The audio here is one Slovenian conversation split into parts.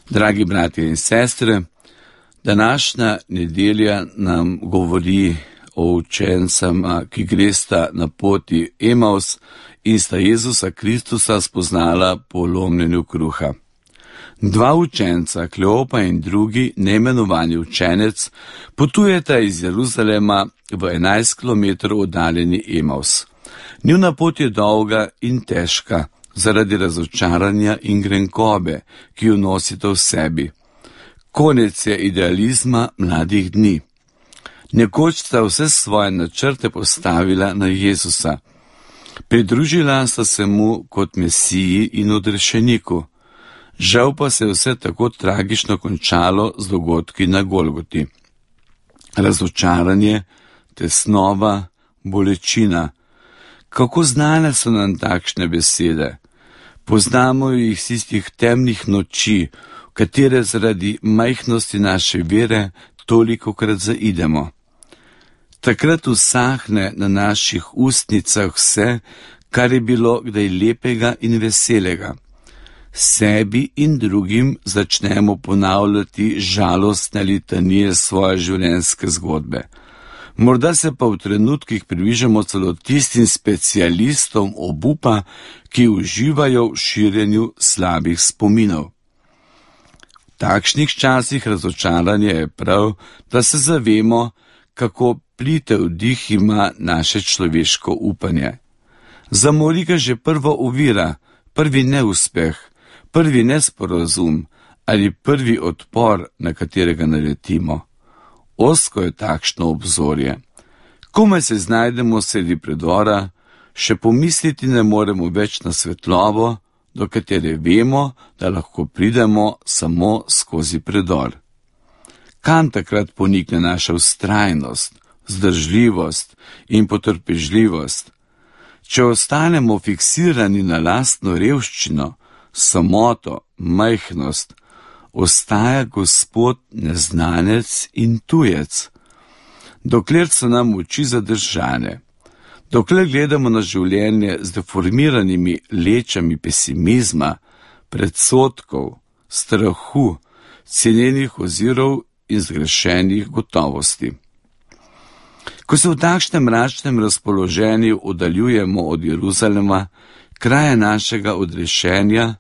Dragi bratje in sestre, današnja nedelja nam govori o učencama, ki gresta na poti Emaus in sta Jezusa Kristusa spoznala po lomljenju kruha. Dva učenca, Kleopa in drugi, neimenovani učenec, potujeta iz Jeruzalema v 11 km oddaljeni Emaus. Njuna pot je dolga in težka, zaradi razočaranja in grenkobe, ki jo nosite v sebi. Konec je idealizma mladih dni. Nekoč sta vse svoje načrte postavila na Jezusa. Pridružila sta se mu kot Mesiji in odrešeniku. Žal pa se je vse tako tragično končalo z dogodki na Golgoti. Razočaranje, tesnova, bolečina. Kako znane so nam takšne besede? Poznamo jih iz tistih temnih noči, v katere zaradi majhnosti naše vere tolikokrat zaidemo. Takrat usahne na naših ustnicah vse, kar je bilo kdaj lepega in veselega. Sebi in drugim začnemo ponavljati žalostne litanije svoje življenjske zgodbe. Morda se pa v trenutkih približamo celo tistim specialistom obupa, ki uživajo v širjenju slabih spominov. V takšnih časih razočaranja je prav, da se zavemo, kako plitev dih ima naše človeško upanje. Zamori ga že prva ovira, prvi neuspeh, prvi nesporazum ali prvi odpor, na katerega naletimo. Ozko je takšno obzorje. Komaj se znajdemo sredi predora, še pomisliti ne moremo več na svetlobo, do katere vemo, da lahko pridemo samo skozi predor. Kam takrat ponikne naša vztrajnost, vzdržljivost in potrpežljivost? Če ostanemo fiksirani na lastno revščino, samoto, majhnost, ostaja Gospod neznanec in tujec. Dokler so nam oči zadržane, dokler gledamo na življenje z deformiranimi lečami pesimizma, predsodkov, strahu, cenjenih ozirov in zgrešenih gotovosti. Ko se v takšnem mračnem razpoloženju oddaljujemo od Jeruzalema, kraja našega odrešenja,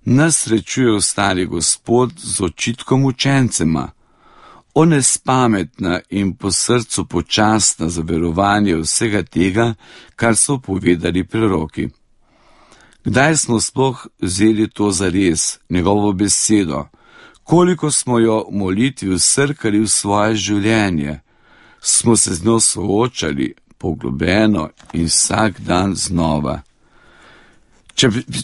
nas srečuje ostali Gospod z očitkom učencema. On je spametna in po srcu počasna za verovanje vsega tega, kar so povedali preroki. Kdaj smo sploh vzeli to zares, njegovo besedo? Koliko smo jo v molitvi vsrkali v svoje življenje? Smo se z njo soočali poglobljeno in vsak dan znova.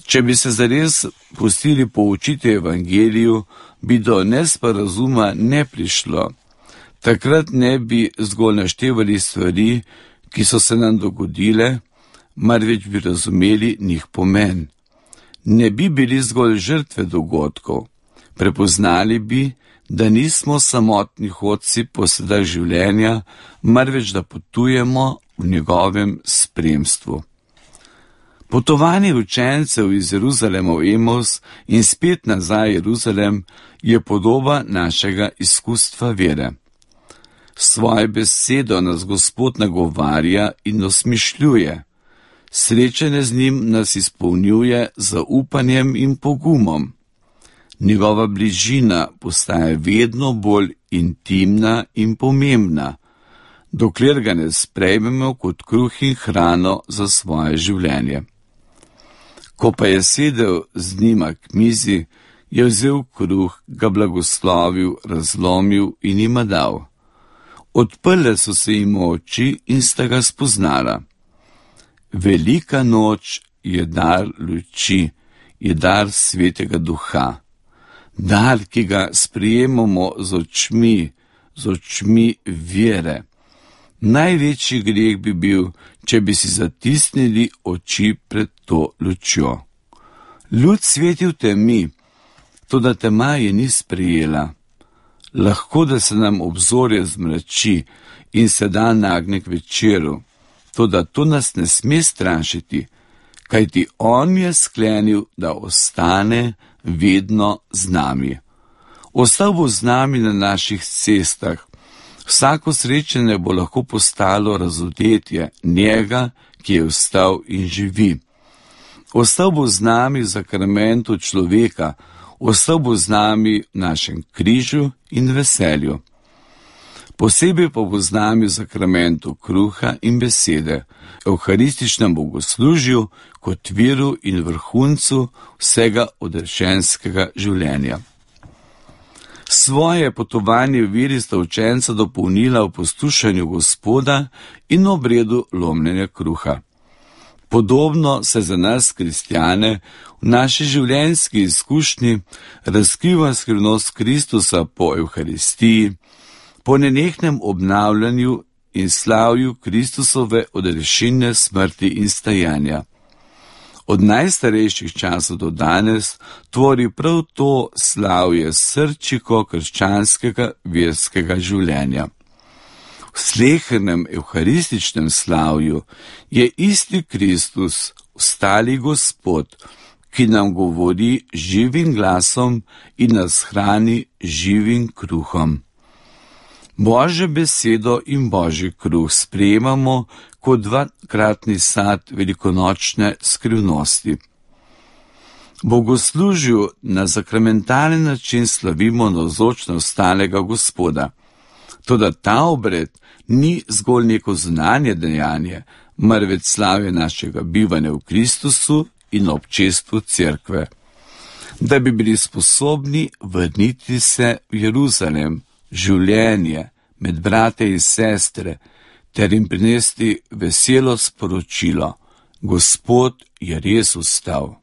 Če bi se zares pustili poučiti evangeliju, bi do nesporazuma ne prišlo. Takrat ne bi zgolj naštevali stvari, ki so se nam dogodile, marveč bi razumeli njih pomen. Ne bi bili zgolj žrtve dogodkov. Prepoznali bi, da nismo samotni hodci po sedah življenja, marveč da potujemo v njegovem spremstvu. Potovanje učencev iz Jeruzalema v Emaus in spet nazaj Jeruzalem je podoba našega izkustva vere. Svoje besedo nas Gospod nagovarja in osmišljuje. Srečanje z njim nas izpolnjuje z zaupanjem in pogumom. Njegova bližina postaja vedno bolj intimna in pomembna, dokler ga ne sprejmemo kot kruh in hrano za svoje življenje. Ko pa je sedel z njima k mizi, je vzel kruh, ga blagoslovil, razlomil in jima dal. Odprle so se jim oči in sta ga spoznala. Velika noč je dar luči, je dar Svetega Duha. Dar, ki ga sprejemamo z očmi vere. Največji greh bi bil, če bi si zatisnili oči pred to lučjo. Luč sveti v temi, toda tema je ni sprejela. Lahko, da se nam obzorje zmrači in se dan nagne k večeru, toda to nas ne sme strašiti, kajti on je sklenil, da ostane vedno z nami. Ostal bo z nami na naših cestah. Vsako srečanje bo lahko postalo razodetje njega, ki je vstal in živi. Ostal bo z nami v sakramentu človeka, ostal bo z nami v našem križu in veselju. Posebej pa bo z nami v sakramentu kruha in besede, evharističnem bogoslužju kot viru in vrhuncu vsega odrešenskega življenja. Svoje potovanje v veri sta učenca dopolnila v poslušanju Gospoda in obredu lomljenja kruha. Podobno se za nas, kristjane, v naši življenjski izkušnji razkriva skrivnost Kristusa po Evharistiji, po nenehnem obnavljanju in slavju Kristusove odrešilne smrti in stajanja. Od najstarejših časov do danes tvori prav to slavje srčiko krščanskega verskega življenja. V slehernem evharističnem slavju je isti Kristus, vstali Gospod, ki nam govori živim glasom in nas hrani živim kruhom. Božjo besedo in Božji kruh sprejemamo kot dvakratni sad velikonočne skrivnosti. Bogoslužju na sakramentalen način slavimo navzočnost stalnega Gospoda. Toda ta obred ni zgolj neko zunanje dejanje, marveč slavje našega bivanja v Kristusu in občestvu cerkve. Da bi bili sposobni vrniti se v Jeruzalem, življenje med brate in sestre, ter jim prinesti veselo sporočilo: Gospod je res vstal.